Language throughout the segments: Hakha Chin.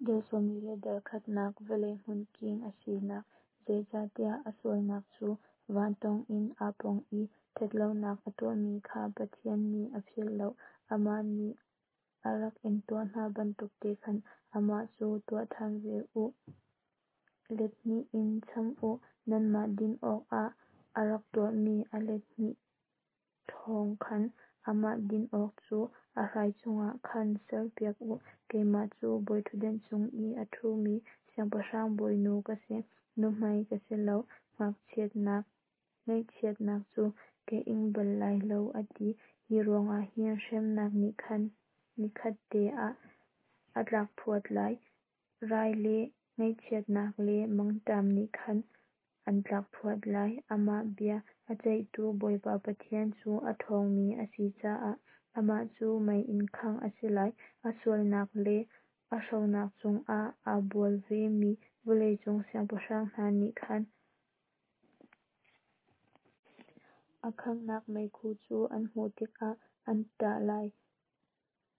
Dal 40 le dal khatnak vawlei hmunking a sinak, zeicahtiah a sualnak cu van tawng in aa pong i ṭhatlonak a tuahmi kha Pathian nih a philh lo. Amah nih a rak in tuah hna bantukte khan amah cu tuah ṭhan ve u, let hnih in cham u. Nanmah din awkah a rak tuahmi a let hnih thawng khan amah din awk cu a hrai chungah khan serpiak u. Keimah cu bawiṭhutdan cung i a ṭhumi siangpahrang bawinu ka si, nuhmei ka si lo, ngaihchiatnak cu ka ing bal lai lo, a ti. Hi ruangah hin hremnak nih khan nikhatte ah a tlakphuat lai, rai le ngaihchiatnak le mangṭam nih khan an tlakphuat lai. Amah bia a ceihtu Bawipa Pathian cu a ṭhawngmi a si caah amah cu mei in khangh a si lai. A sualnak le a hronak chungah aa bual vemi vawleicung siangpahrang hna nih khan a khanghnak meikhu cu an hmuh tikah an ṭah lai.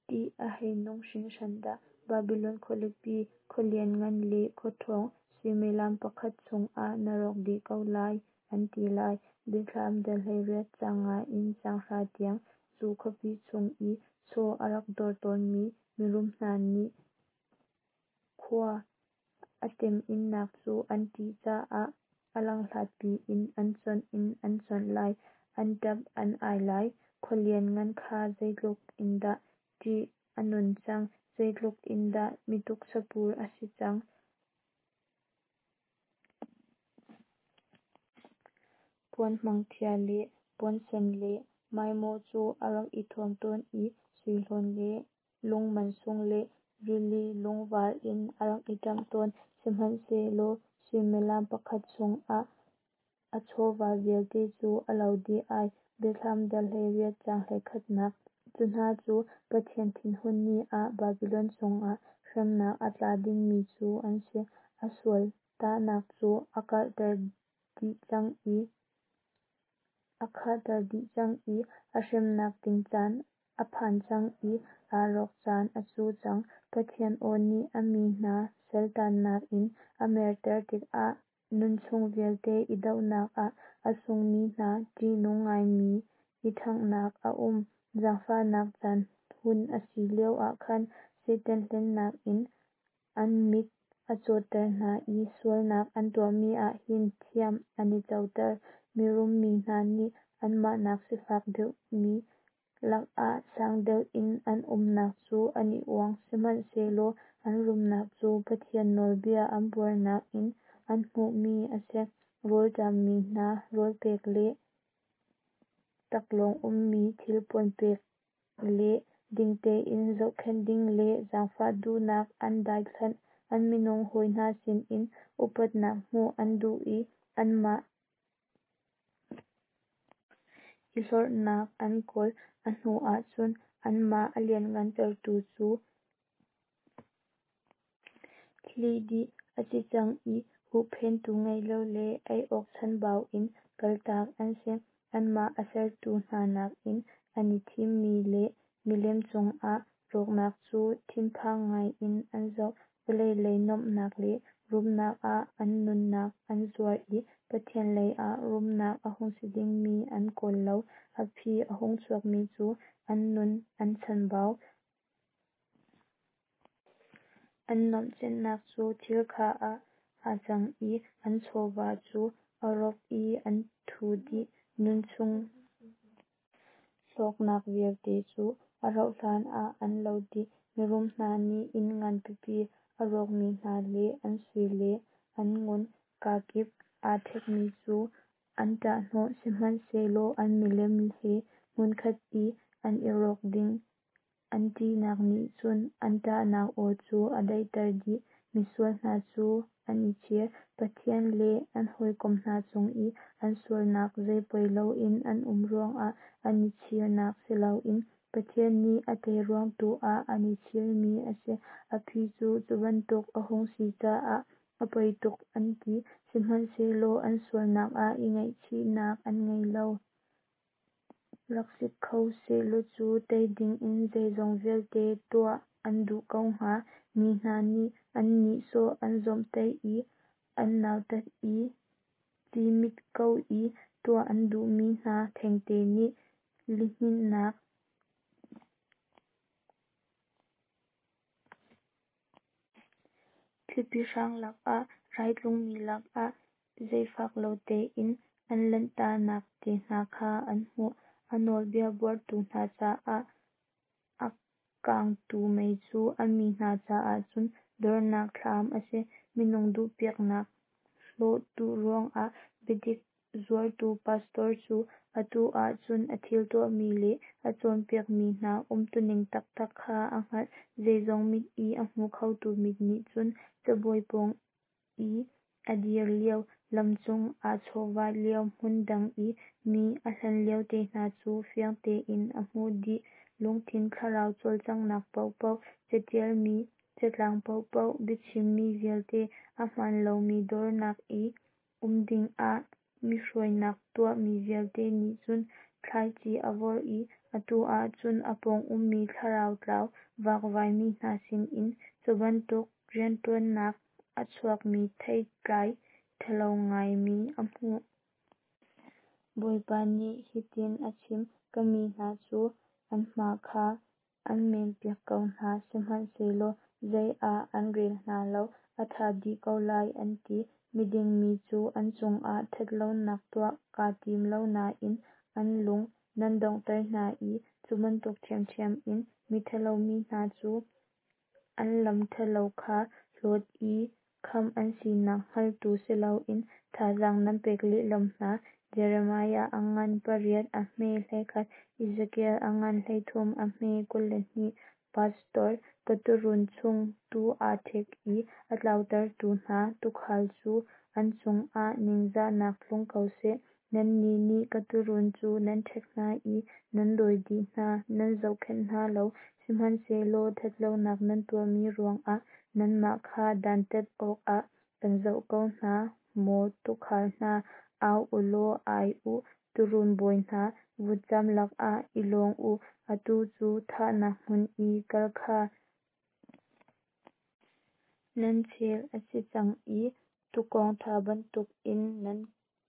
Ṭih a hei nung hringhran dah! Babilon khualipi, khua lianngan le khua ṭhawng, suimilam pakhat chungah na rawk dih ko lai, an ti lai. Biathlam dal 18 caang nga in caang hra tiang. Cu khuapi chung i chaw a rak dawr tawnmi mirum hna nih khua a temhinnak cu an ṭih caah a langhlat piin an cuanh in an cuanh lai, an ṭap an ai lai. Khua lianngan kha zeitluk in dah ṭih a nun cang, zeitluk in dah mi tuksapur a si cang. Puan hmangṭhia le puan sen le maimaw cu a rak i thuam tawn i sui hlawn le lung mansung le rili lungvar in a rak i ṭamh tawn. Sihmanhsehlaw suimilam pakhat chungah a chawva vialte cu a lo dih ai. Biathlam dal 18 caang 11nak. Cu hna cu Pathian thinhun ni ah Babilon cungah hremnak a tla dingmi cu an si. A sual tahnak cu a karhter dih cang i a khahter dih cang i a hremnak ding caan a phan cang i aa rawk caan a cu cang. Pathian aw nih a mi hna saltannak in a merter tikah nunchung vialte i dohnak ah a sungmi hna ṭihnung ngaimi i ṭhanghnak a um. Zaangfahnak caan hun a si lio ah khan Satan hlennak in an mit a cawtter hna i sualnak an tuahmi ah hin thiam an i coter. Mirum mi hna nih anmah nak sifak deuhmi lakah sang deuh in an umnak cu an i uang, sihmanhsehlaw an rumnak cu Pathian nawlbia an buarnak in an hmuhmi a si. Rawlṭammi hna rawl pek le taklawng ummi thilpuan pek le ding tein zohkhenh ding le zaangfah duhnak an daithlanh. An minung hawi hna sinin upatnak hmuh an duh i anmah i hlorhnak an kawl. A hnuah cun anmah a lianhngantertu cu hlih dih a si cang i huhphenhtu ngei lo le ei awk chanbau in kaltak an si. Anmah a sertu hna nakin an i thimmi le milem cungah rawknak cu thinphang ngaiin an zoh. Vawlei lei nuamhnak le rumnak ah an nunnak an zuar i Pathian lei ah rumnak a hung si dingmi an kawl lo. A phi a hung chuakmi cu an nun an chanbau. An nuamhcennak cu thil kha ah aa cang i an chawva cu a rawp i an thu dih. Nunchung hlawknak vialte cu a rauhhlan ah an lo dih. Mirum hna nih inn ngan pipi a rawkmi hna le an sui le an ngun kakip aa ṭhekmi cu an ṭahhnawh, sihmanhsehlaw an milem he hmunkhat i an i rawk ding an ṭihnak nih cun an ṭahnak aw cu a daihter dih. Misual hna cu an i chir. Pathian le an hawikom hna cung i an sualnak zeipoi loin an um ruangah an i chirnak si loin Pathian nih a tei ruang tu ah an i chirmi a si. A phi cu cu bantuk a hung si caah a poi tuk an ti, sihmanhsehlaw an sualnak ah i ngaihchihnak an ngei lo. Rak si kho sehlaw cu tei dingin zeizong vialte tuah an duh ko hnga. Mi hna nih an nihsawh, an zawmhtaih i an nautat i ci hmit ko i tuah an duhmi hna thengte nih lihninhnak, thlipi hrang lakah, rai tlungmi lakah zaangfak lo tein an lanhtaknak te hna kha an hmuh. A nawlbia buartu hna caah a kanghtu mei cu a mi hna caah cun dornak thlam a si. Minung duhpiaknak hlawh duh ruangah biadik zuartu pastor cu atu ah cun a thil tuahmi le a cawnpiakmi hna umtuning taktak kha a hngalh. Zeizong mit i a hmu khotu mit nih cun cabuai pawng i a dir lio, lamcung aa chawhvah lio, hmun dang i mi a hlan lio te hna cu fiang tein a hmuh dih. Lungthin thlarau cawlcanghnak paohpaoh, catialmi catlang paohpaoh, biachimmi vialte, a hmaan lomi dornak i um dingah mi hruainak tuahmi vialte nih cun thlaici a vorh i atu ah cun a pawng ummi thlarau tlau vakvai mi hna sinin cubantuk rianṭuannak a chuakmi theitlai ṭhalo ngaimi a hmuh. Bawipa nih hitin a chim: Ka mi hna cu an hma kha an menpiak ko hna, sihmanhsehlaw zei ah an rel hna lo. A ṭha dih ko lai, an ti. Miding mi cu an cungah ṭhat lonak tuah kaa tim lo nain an lung nan donghter hna i cu bantuk ṭhiamṭhiam in miṭhalo mi hna cu an lam ṭhalo kha hlawt i khamh an sinak hngaltu si loin thazaang nan pek lehlam hna. Jeremiah a ngan 8, a hme 11, Ezekiel a ngan 33, a hme 22. Pastor, Ka tuurun chung tuu aa ṭhek i a tlautertu hna tuukhal cu an cungah ningzahnak tlung ko seh. Nannih nih ka tuurun cu nan ṭhek hna i nan dawi dih hna, nan zohkhenh hna lo. Sihmanhsehlaw ṭhat lonak nan tuahmi ruangah nanmah kha dantat awkah kan zoh ko hna. Maw tuukhal hna, au u law ai u; tuurun bawi hna, vutcam lakah i lawng u. Atu cu thahnak hmun i kal kha nan chel a si cang i tuukawng ṭha bantukin nan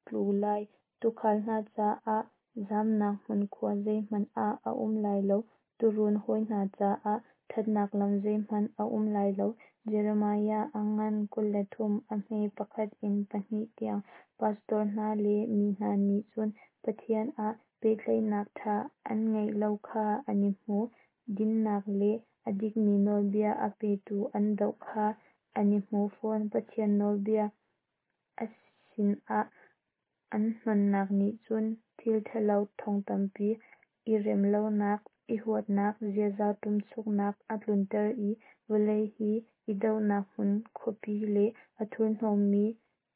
tlu lai. Tuukhal hna caah zamnak hmun khua zeihmanh ah a um lai lo, tuurun hawi hna caah ṭhatnak lam zeihmanh a um lai lo. Jeremiah a ngan 23, a hme 1 in 2 tiang. Pastor hna le mi hna nih cun Pathian ah pehtlaihnak ṭha an ngeih lo kha an i hmu. Dinnak le a dikmi nawlbia a petu an doh kha an i hmu fawn. Pathian nawlbia a sinah an hnonnak nih cun thil ṭhalo thong tampi, i rem lonak, i huatnak, ziaza ṭumchuknak a tlunter i vawlei hi i dohnak hmun khuapi le a thurhnawmmi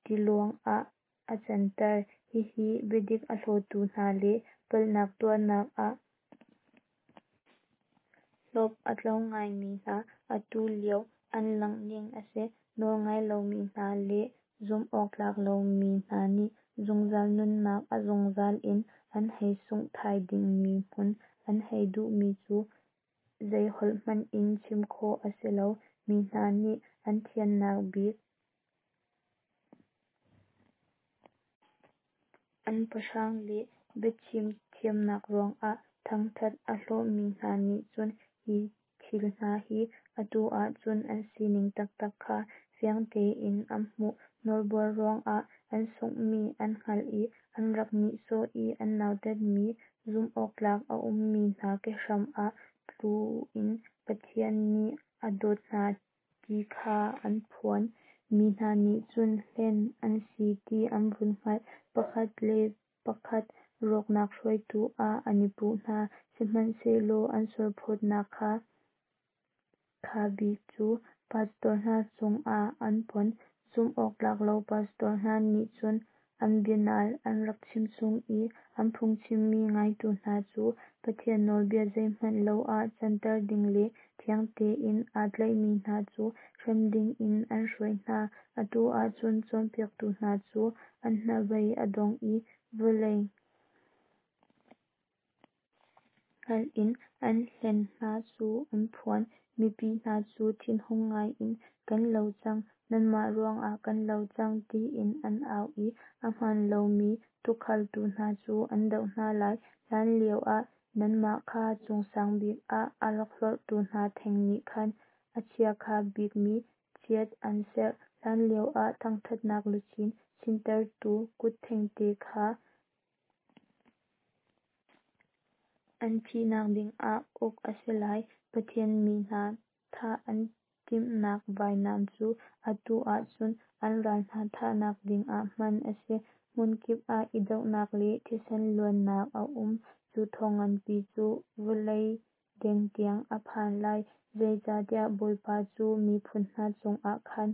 tiluang ah a canter. Hihi biadik a hlawtu hna le palhnak tuahnak ah hlawp a tlo ngaimi hna atu lio an langhning a si. Nawlngai lomi hna le zumhawktlak lomi hna nih zungzal nunnak a zungzal in an hei sungh thai dingmi hmun an hei duhmi cu zei holh hmanh in chim khawh a si lo. Mi hna nih an thiannak bik an pahrang le biachim thiamnak ruangah thangṭhat a hlawhmi hna nih cun hi thil hna hi atu ah cun an sining taktak kha fiang tein an hmuh. Nawlbuar ruangah an sunghmi an hngalh i an rak nihsawh i an nautatmi zumhawktlak a ummi hna kehram ah tlu in Pathian nih a dawt hna ti kha an phuan. Mi hna nih cun hlen an si ti an vun hngalh. Pakhat le pakhat rawknak hruaitu ah an i puh hna. Sihmanhsehlaw an sualphawtnak kha bik cu pastor hna cungah an pon. Zumh awktlak lo pastor hna nih cun an bianal an rak chim chung i an phungchimmi ngaitu hna cu Pathian nawlbia zeihmanh lo ah canter ding le thiang tein aa tlaihmi hna cu hrem dingin an hruai hna. Atu ah cun cawnpiaktu hna cu an hnabei a dong i vawlei hngalh in an hlen hna cu an phuan. Mipi hna cu thinhung ngaiin, “Kan lo cang! Nanmah ruangah kan lo cang,” tiin an au i ahmaan lomi tukhaltu hna cu an doh hna lai. Hlanlio ah nanmah kha cung sang bik ah a rak hlorhtu hna theng nih khan a chiakha bikmi chiat an serh. Hlanlio ah thangṭhatnak luchin chinhtertu kut thengte kha an thihnak dingah uk a si lai. Pathian mi hna thah an timhnak vainam cu atu ah cun an ral hna thahnak dingah hman a si. Hmunkip ah i dohnak le thisen luannak a um. Cu thawng nganpi cu vawlei deng tiang a phan lai, Zeicahtiah Bawipa cu miphun hna cungah khan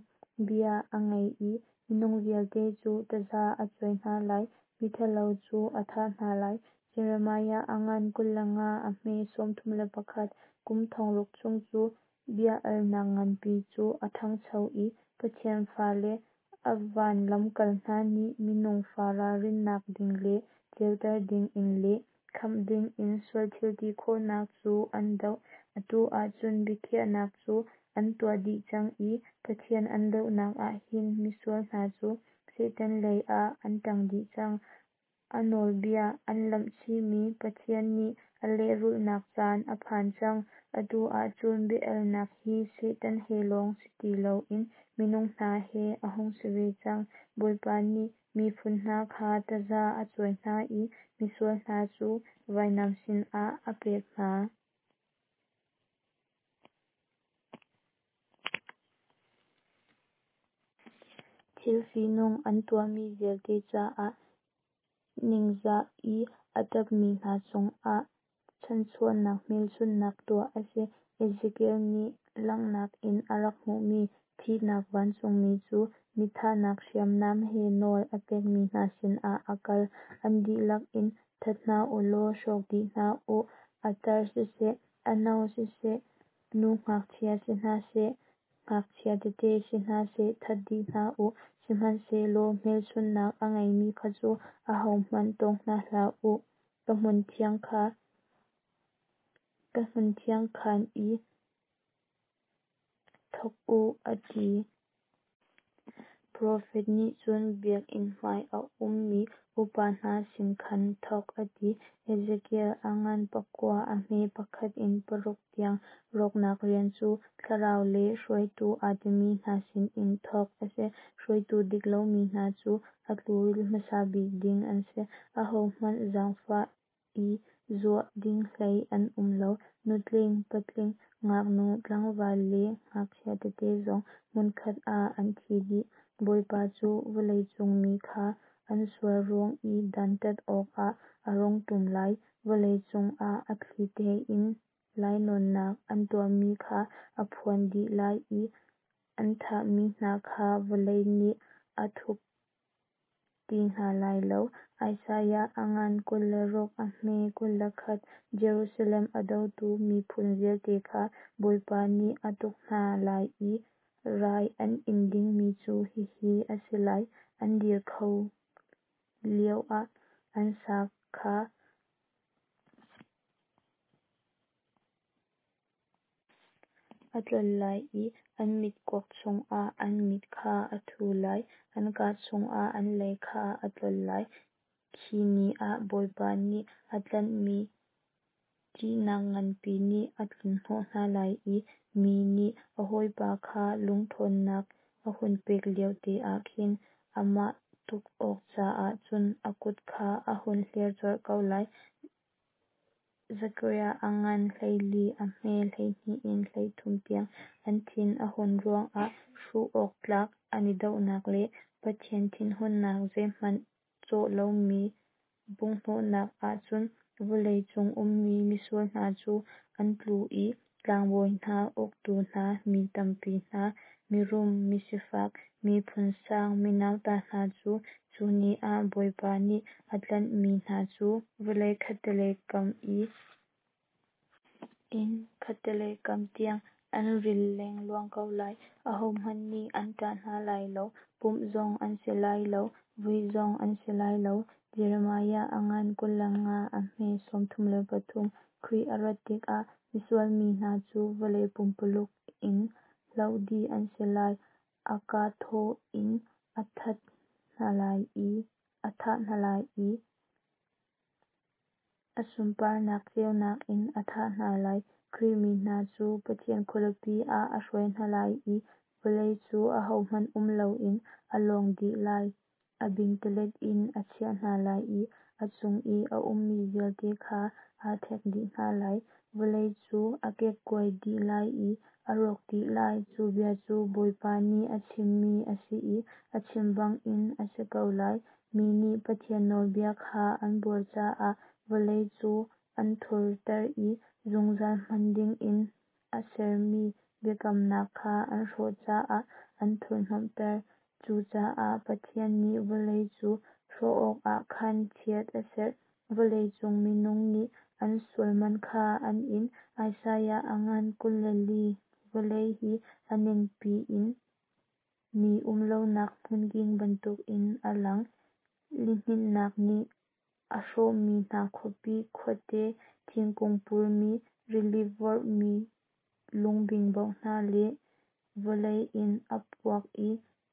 bia a ngei i minung vialte cu taza a cuai hna lai, Miṭhalo cu a thah hna lai. Jeremiah a ngan 25, a hme 31. Kum thong ruk chung cu bia-alnak nganpi cu a ṭhangcho i Pathian fale a van lamkal hna nih minung fa ralrinnak ding le ceuter dingin le khamh dingin sual thil ti khawhnak cu an doh. Atu ah cun biakhiahnak cu an tuah dih cang i Pathian an dohnak ah hin misual hna cu Satan lei ah an ṭang dih cang. A nawlbia an lamhchihmi Pathian nih a lehrulhnak caan a phan cang. Atu ah cun bia-alnak hi Satan he lawng si ti loin minung hna he a hung si ve cang. Bawipa nih miphun hna kha taza a cuai hna i misual hna cu vainam sinah a pek hna. Thil fihnung an tuahmi vialte caah ningzah i a ṭapmi hna cungah chanhchuahnak hmelchunhnak tuah a si. Ezekiel nih langhnak in a rak hmuhmi thihnak vancungmi cu mi thahnak hriamnam he nawl a pekmi hna sinah a kal. An dihlak in that hna u law hrawk dih hna u; a tar siseh, a no siseh, nu ngakchia si hna seh, ngakchia tete si hna seh, that dih hna u. Sihmanhsehlaw hmelchunhnak a ngeimi kha cu ahohmanh tawng hna hlah u. Ka hmunthiang khan i thawk u, a ti. Profet nih cun biakinn hmai a ummi upa hna sin khan thawk, a ti. Ezekiel a ngan pakua, a hme pakhat in paruk tiang. Rawknak rian cu thlarau lei hruaitu aa timi hna sinin thawk a si. Hruaitu dik lomi hna cu a tluril hmasa bik ding an si. Ahohmanh zaangfah i zuah ding hlei an um lo. Nutling, patling, ngaknu, tlangval le ngakchia tete zong hmunkhat ah an thi dih. Bawipa cu vawleicung mi kha an sual ruang i dantat awkah a rung ṭum lai. Vawleicung ah a thli tein lainawnnak an tuahmi kha a phuan dih lai i an thahmi hna kha vawlei nih a thup ti hna lai lo. Isaiah a ngan 26, a hme 21. Jerusalem a dotu miphun vialte kha Bawipa nih a tuk hna lai i rai an in dingmi cu hihi a si lai: An dir ko lioah an sa kha a tlol lai i an mitkuak chungah an mit kha a thu lai, an kaa chungah an lei kha a tlol lai. Khi ni ah Bawipa nih a tlanhmi ṭihnak nganpi nih a tlunhnawh hna lai i mi nih a hawipa kha lung ṭhawnnak a hun pek liote ah khin amah tuk awk caah cun a kut kha a hun hler colh ko lai. Zekhariah a ngan 14, a hme 12 in 13 tiang. An thin a hun ruangah hruh awk tlak an i dohnak le Pathian thinhunnak zeihmanh cawh lomi bunghhnawhnak ah cun vawlei cung ummi misual hna cu an tlu i tlangbawi hna, uktu hna, mi tampi hna, mirum, misifak, miphun sang, minauta hna cu, cu ni ah Bawipa nih a tlanhmi hna cu vawlei khattelei kam in khattelei kam tiang an ril lengluang ko lai. Ahohmanh nih an ṭah hna lai lo, pumh zong an si lai lo, vui zong an si lai lo. Jeremiah a ngan 25, a hme 33. Khrih a rat tikah. Misual mi hna cu vawlei pumpululuk in hloh dih an si lai. A kaa thaw in a thah hna lai i a sunparnak ceunak in a thah hna lai. Khrih mi hna cu Pathian khualipi ah a hruai hna lai i vawlei cu ahohmanh um loin a lawng dih lai. A bingtalet in a chiah hna lai i a chung i a ummi vialte kha aa ṭhek dih hna lai. Vawlei cu a kekkuai dih lai i a rawk dih lai. Cu bia cu Bawipa nih a chimmi a si i a chim bangin a si ko lai. Mi nih Pathian nawlbia kha an buar caah vawlei cu an thurter i zungzal hman dingin a sermi biakamnak kha an hrawh caah an thurhhnawmhter. Cucaah Pathian nih vawlei cu hrawh awkah khan chiat a serh. Vawlei cung minung nih an sual man kha an in. Isaiah a ngan 24. Vawlei hi a ningpi in mi um lonak hmunking bantukin a lang. Lihninhnak nih a hrawhmi hna khuapi, khuate, thingkung purmi, rili vorhmi lungbingbo hna le vawlei in a puak i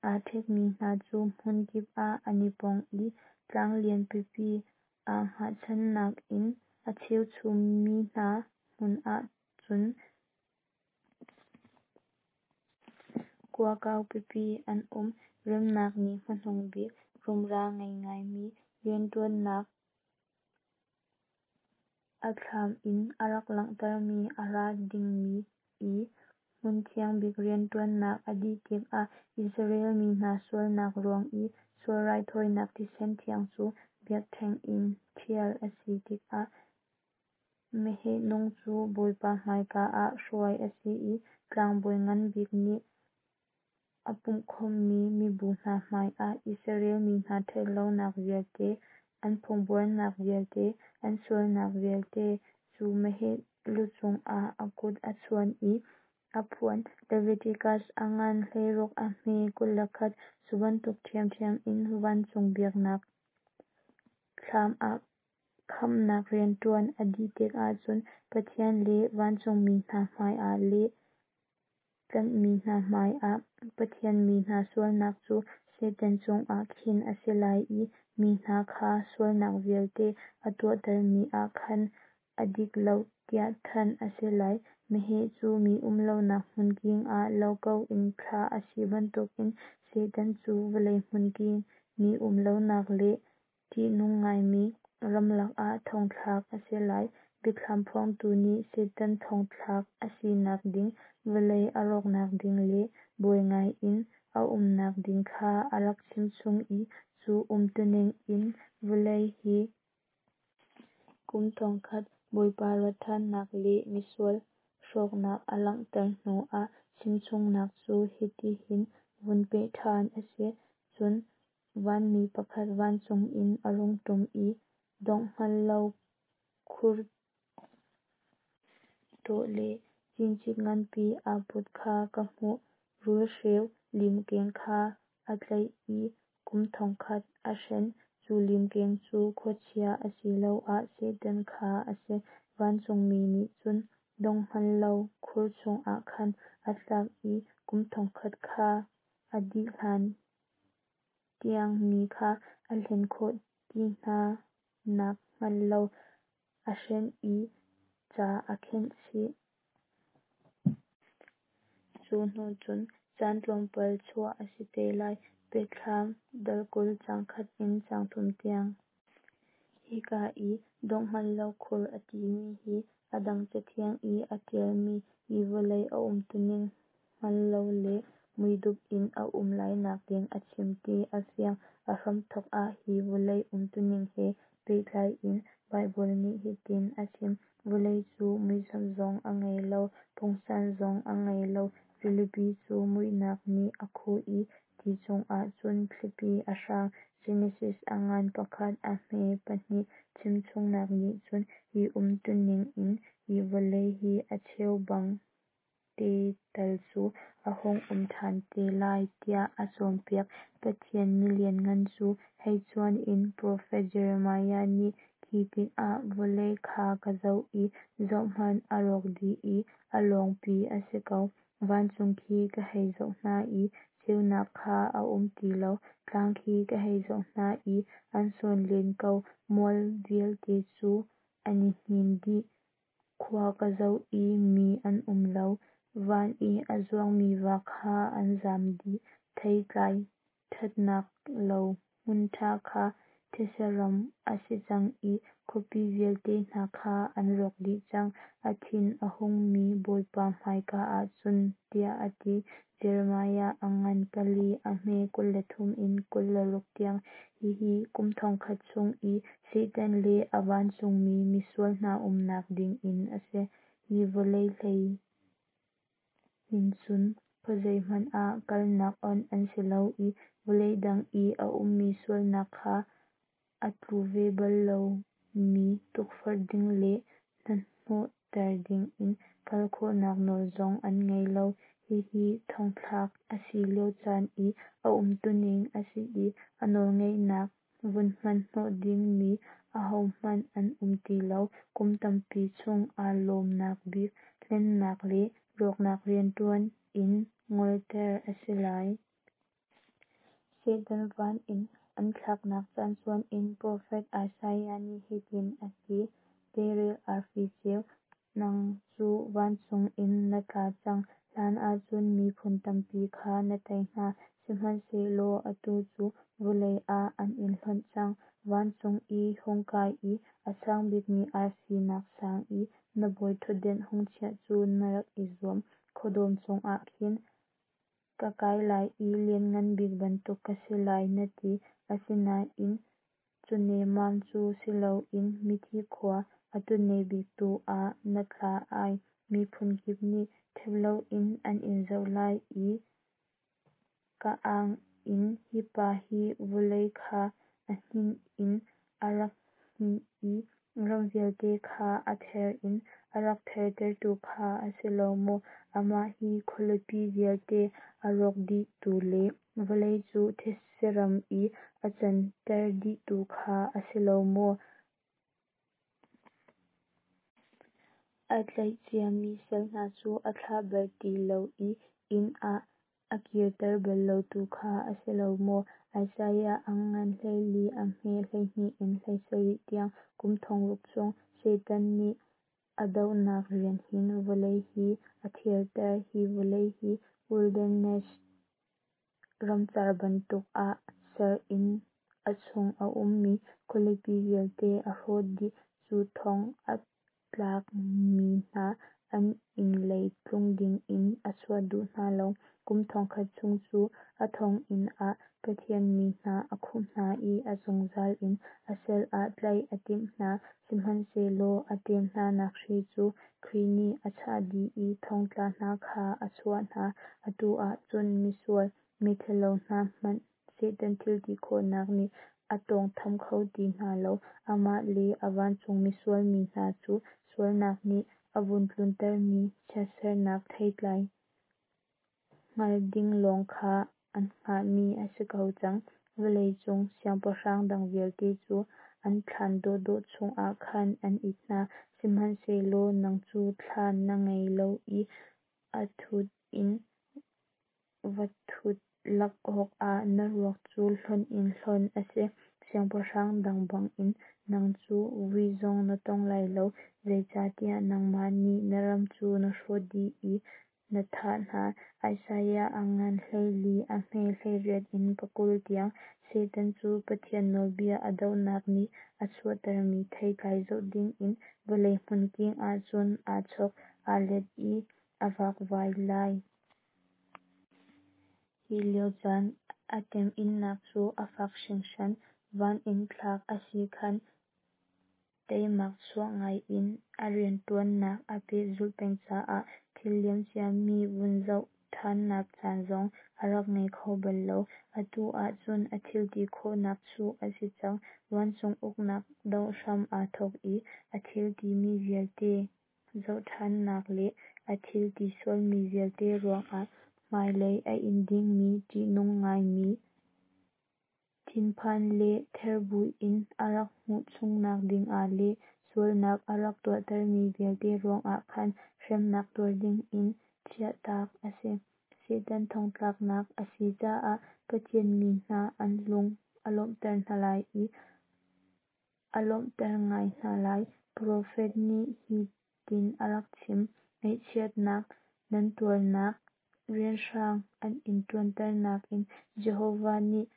aa ṭhekmi hna cu hmunkip ah an i pong i tlang lian pipi aa hngatchannak in a cheuchummi hna hmun ah cun kua kau pipi an um. Remnak ni hmanung bik rumra ngei ngaimi rianṭuannak a thlam in a rak langhtermi a ra dingmi i hmunthiang bik rianṭuannak a dih tikah Israel mi hna sualnak ruang i sual raithawinak thisen thiang cu biakṭheng in ṭhial a si tikah meheh nung cu Bawipa hmaika ah hruai a si i tlangbawi ngan bik nih a pumhkhawmhmi mibu hna hmaiah Israel mi hna ṭhatlonak vialte, an phungbuarnak vialte, an sualnak vialte cu meheh lucung ah a kut a chuan i a phuan. Leviticus a ngan 16 a hme 21. Cu bantuk ṭhiamṭhiam in vancung biaknak thlam ah khamhnak rianṭuan a dih tikah cun Pathian le vancungmi hna hmaiah le tlanhmi hna hmaiah Pathian mi hna sualnak cu Satan cungah khin a si lai i mi hna kha sualnak vialte a tuahtermi ah khan a dik lo tiah thanh a si lai. Meheh cu mi um lonak hmunking ah lo ko in thlah a si bantukin Satan cu vawlei hmunking, mi um lonak le ṭihnung ngaimi ramlak ah thongthlak a si lai. Biathlam phuangtu nih Satan thongthlak a sinak ding, vawlei a rawknak ding le buai ngai in a umnak ding kha a rak chimchung i cu umtuning in vawlei hi kum thongkhat Bawipa rat ṭhannak le misual hrawknak a langhter hnuah chimchungnak cu hitihin vun peh ṭhan a si. Cun vanmi pakhat vancung in a rung ṭum i dongh hngal lo khur tawh le cincik nganpi aa put kha ka hmuh. Rulhreu limkeng kha a tlaih i kum thongkhat a hren. Cu limkeng cu khuachia asiloah Satan kha a si. Vancungmi nih cun dongh hngal lo khur chungah khan a thlak i kum thongkhat kha a dih hlan tiang mi kha a hlen khawh ti hna nakhnga lo a hren i ca a khenh chih. Cu hnu cun caan tlawmpal chuah a si te lai. Biathlam dal 20 caang 1 in caang 3 tiang. Hika i dongh hngal lo khur a timi hi a dang cathiang i aa ṭialmi hi vawlei a umtuning hngal lo le muidup in a um lainak ding a chim ti a fiang. A hramthawk ah hi vawlei umtuning he pehtlai in Baibal nih hitin a chim: Vawlei cu muisam zong a ngei lo, pungsan zong a ngei lo. Rilipi cu muihnak nih a khuh i ti cungah cun thlipi a hrang. Genesis a ngan 1 a hme 2. Chimchungnak nih cun hi umtuning in hi vawlei hi a cheubang te tal cu a hung um ṭhan te lai tiah a cawnpiak. Pathian mi lianngan cu hei cuan in profet Jeremiah nih khi. Khi tikah vawlei kha ka zoh i zohhmanh, a rawk dih i a lawngpi a si ko. Vancung khi ka hei zoh hna i ceunak kha a um ti lo; tlang khi ka hei zoh hna i an sawn len ko, mual vialte cu an i hnin dih. Khua ka zoh i mi an um lo, van i a zuangmi va kha an zam dih. Theitlai ṭhatnak lo hmun ṭha kha thetse ram a si cang i khuapi vialte hna kha an rawk dih cang, a thin a hungmi Bawipa hmaika ah cun, tiah a ti. Jeremiah a ngan pali a hme 23 in 26 tiang. Hihi kum 1000 chung i Satan le a vancungmi misual hna umnak ding inn a si. Hi vawlei hlei hin cun khuazei hmanh ah kalnak onh an si lo i vawlei dang i a ummi sualnak kha a tlu ve bal lomi tukforh ding le hnahnawhter dingin kal khawhnak nawl zong an ngei lo. Hihi thongthlak a si lio caan i a umtuning a si i a nawlngeihnak vun hman hnawh dingmi ahohmanh an um ti lo. Kum tampi chung aa lawmhnak bik hlennak le rawknak riantuan in ngolter a si lai. Satan van in an thlaknak caan cuan in profet Isaiah nih hitin a ti: "Deirel arfi ceu, nang cu vancung in na tla cang! Hlan ahcun miphun tampi kha na tei hna, sihmanhsehlaw atu cu vawlei ah an in hlonh cang. Vancung i hung kai i a sang bikmi arfi nak sang i na bawi ṭhutdan hung chiah cu na rak i zuam. Khuadawm cungah khin ka kai lai i Lianngan Bik bantuk ka si lai, na ti, asinain cu nemmam cu si loin mithi khua, a tutne bik tu ah na tla ai. Miphun kip nih ṭhep loin an in zoh lai i ka ang in, Hi pa hi vawlei kha a hninh in a rak hninh i ram vialte kha a ther in a rak thertertu kha a si lo maw? Amah hi khualipi vialte a rawk dihtu le vawlei cu thetse ram i a canter dihtu kha a si lo maw? A tlaih ciami sal hna cu a thlah bal ti lo i inn ah a kirter bal lotu kha a si lo maw?" Isaiah a ngan 14 a hme 12 in 17 tiang. Kum thongruk chung Satan nih a dohnak rian hin vawlei hi a therter. Hi vawlei hi wilderness ramcar bantuk ah ser in a chung a ummi khualipi vialte a hrawh dih. Cu thong a tlakmi hna an inn lei tlung dingin a chuah duh hna lo. Kum 1000 chung cu a thonginn ah Pathian mi hna a khumh hna i a zungzal in a sal ah tlaih a timh hna. Sihmanhsehlaw a tem hnanak hri cu Khrih nih a chah dih i thongtla hna kha a chuah hna. Atu ah cun misual, mithalo hna hmanh Satan thilti khawhnak nih a tawngtham kho ti hna lo. Amah le a vancung misual mi hna cu sualnak nih a vun tluntermi chiatsernak theitlai hngal ding lawng kha an hngahmi a si ko cang. Vawlei cung siangpahrang dang vialte cu an thlan dawhdawh chungah khan an it hna, sihmanhsehlaw nang cu thlan na ngei lo i a thut in va thut lak awkah na ruak cu hlonh in hlonh a si. Siangpahrang dang bangin nang cu vui zong na tong lai lo, zeicahtiah nangmah nih na ram cu na hrawh dih i na thah hna. Isaiah a ngan 14 a hme 18 in 20 tiang. Satan cu Pathian nawlbia a dohnak nih a chuahtermi theitlai zoh dingin vawlei hmunking ah cun aa chok, aa let i a vakvai lai. Hi lio caan a temhinnak cu a fak hringhran. Van in thlak a si khan teimak chuah ngaiin a riantuannak a pehzulh peng caah thil liam ciami vun zoh thannak caan zong a rak ngei kho bal lo. Atu ahcun a thilti khawhnak chuh a si cang. Vancung uknak doh hram aa thawk i a thil timi vialte zohthannak le a thil ti sualmi vialte ruangah hmailei a in dingmi ṭihnung ngaimi. Thinphan le ther buin a rak nguh chungnak dingah le sualnak a rak tuahtermi vialte ruangah khan hremnak tuar dingin chiahtak a si. Satan thongtlaknak a si caah Pathian mi hna an lung a lawmhter hna lai i a lawmhter ngai hna lai. Profet nih hi tin a rak chim: Ngaihchiatnak nan tuarnak, rianhrang an in ṭuanternak in Jehovah nih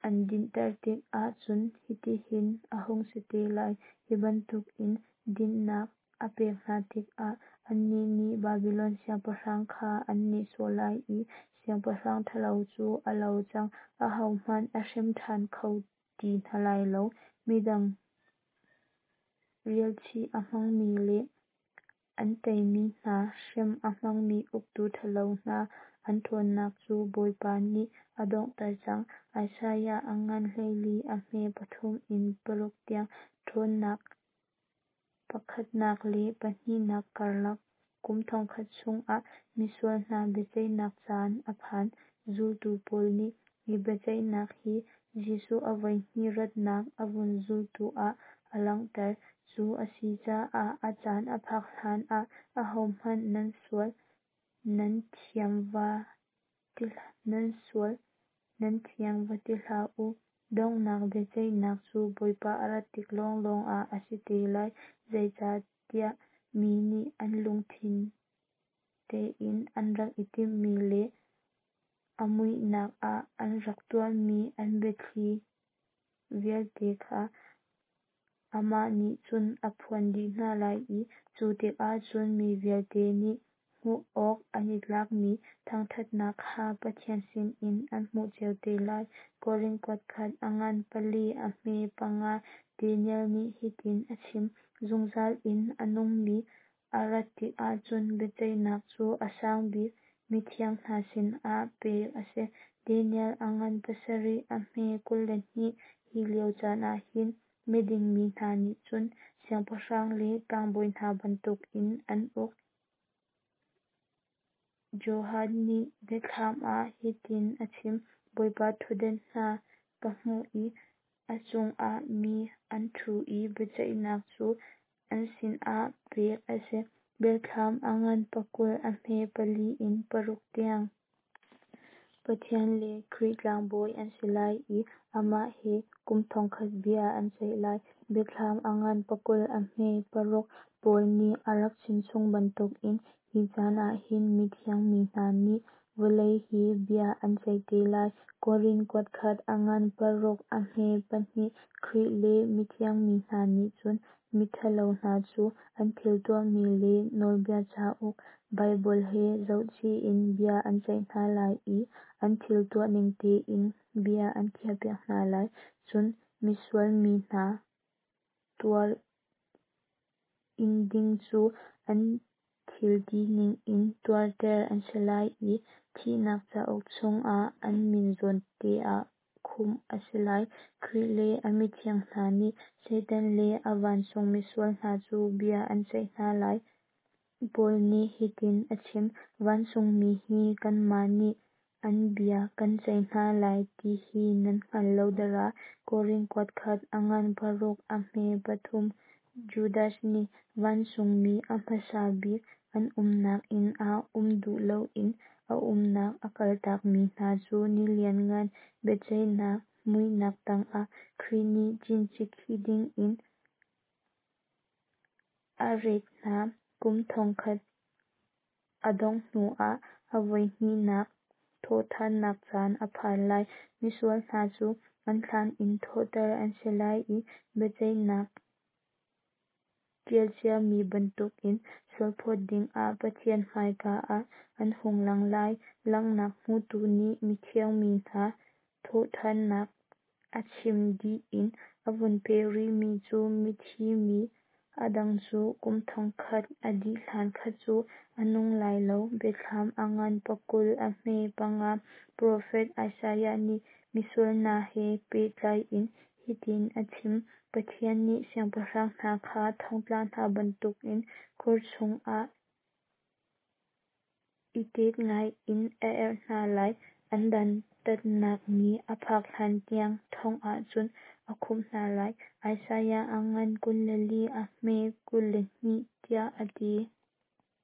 an dinhter tikah cun hitihin a hung si te lai. Hi bantukin dinhnak a pek hna tikah annih nih Babilon siangpahrang kha an nihsawh lai i siangpahrang ṭhalo cu a lo cang, ahohmanh a hrem ṭhan kho ti hna lai lo. Midang rialchih a hmangmi le an teimi hna hrem a hmangmi uktu ṭhalo hna an ṭhawnnak cu Bawipa nih a donghter cang. Isaiah a ngan 14 a hme 3 in 6 tiang. Ṭhawnnak pakhatnak le pahnihnak karlak kum thongkhat chungah misual hna biaceihnak caan a phan. Zultu pawl nih hi biaceihnak hi Jesuh a voihnih ratnak a vun zultu ah a langhter. Cu a si caah a caan a phak hlan ah ahohmanh nan sual nan thiang va ti hlah u. Donghnak biaceihnak cu Bawipa a rat tik lawnglawng ah a si te lai. Zeicahtiah mi nih an lungthin tein an rak i timhmi le a muihnak ah an rak tuahmi an biathli vialte kha amah nih cun a phuan dih hna lai i cu tikah cun mi vialte nih hmuh awk an i tlakmi thangṭhatnak kha Pathian sinin an hmuh cio te lai. Korin kuatkhat a ngan pali a hme panga. Daniel nih hitin a chim: Zungzal in a nungmi a rat tikah cun biaceihnak cu a sang bik mithiang hna sinah pek a si. Daniel a ngan pasarih a hme 22. Hi lio caan ah hin miding mi hna nih cun siangpahrang le tlangbawi hna bantukin an uk. Johan nih biathlam ah hitin a chim: Bawipa ṭhutdan hna ka hmuh i a cungah mi an ṭhu i biaceihnak cu an sinah pek a si. Biathlam a ngan pakul a hme pali in paruk tiang. Pathian le Khrih tlangbawi an si lai i amah he kum thongkhat bia an ceih lai. Biathlam a ngan pakul a hme paruk. Paul nih a rak chimchung bantukin hi caan ah hin mithiang mi hna nih vawlei hi bia an ceih te lai. Korin kuatkhat a ngan paruk a hme pahnih. Khrih le mithiang mi hna nih cun miṭhalo hna cu an thil tuahmi le nawlbia cauk Baibal he zohchih in bia an ceih hna lai i an thil tuahning tein bia an khiahpiak hna lai. Cun misual mi hna tuar ing ding cu an thil tining in tuarter an si lai i thihnak cauk chungah an min zawnte ah khumh a si lai. Khrih le a mithiang hna nih Satan le a vancung misual hna cu bia an ceih hna lai. Paul nih hitin a chim: Vancungmi hi kanmah nih an bia kan ceih hna lai ti hi nan hngal lo dara. Korin kuatkhat a ngan paruk a hme pathum. Judas nih vancungmi a hmasa bik an umnak inn ah um duh loin a umnak a kaltakmi hna cu ni lianngan biaceihnak muihnak tangah Khrih nih cincik khih dingin a ret hna. Kum thongkhat a dongh hnuah a voihnihnak thawhṭhannak caan a phan lai. Misual hna cu an thlan in thawhter an si lai i biaceihnak ṭialciami bantukin sualphawt dingah Pathian hmaika ah an hung lang lai. Langhnak hmutu nih mithiang mi hna thawhṭhannak a chim dih in a vun peh rihmi cu mithi mi a dang cu kum thongkhat a dih hlan kha cu a nung lai lo. Biathlam a ngan pakul a hme panga. Profet Isaiah nih misual hna he pehtlai in hitin a chim: Pathian nih siangpahrang hna kha thongtla hna bantukin khor chungah i tet ngaiin a erh hna lai. An dantatnak ni a phak hlantiang thong ah cun a khumh hna lai. Isaiah a ngan 24 a hme 22, tiah a ti.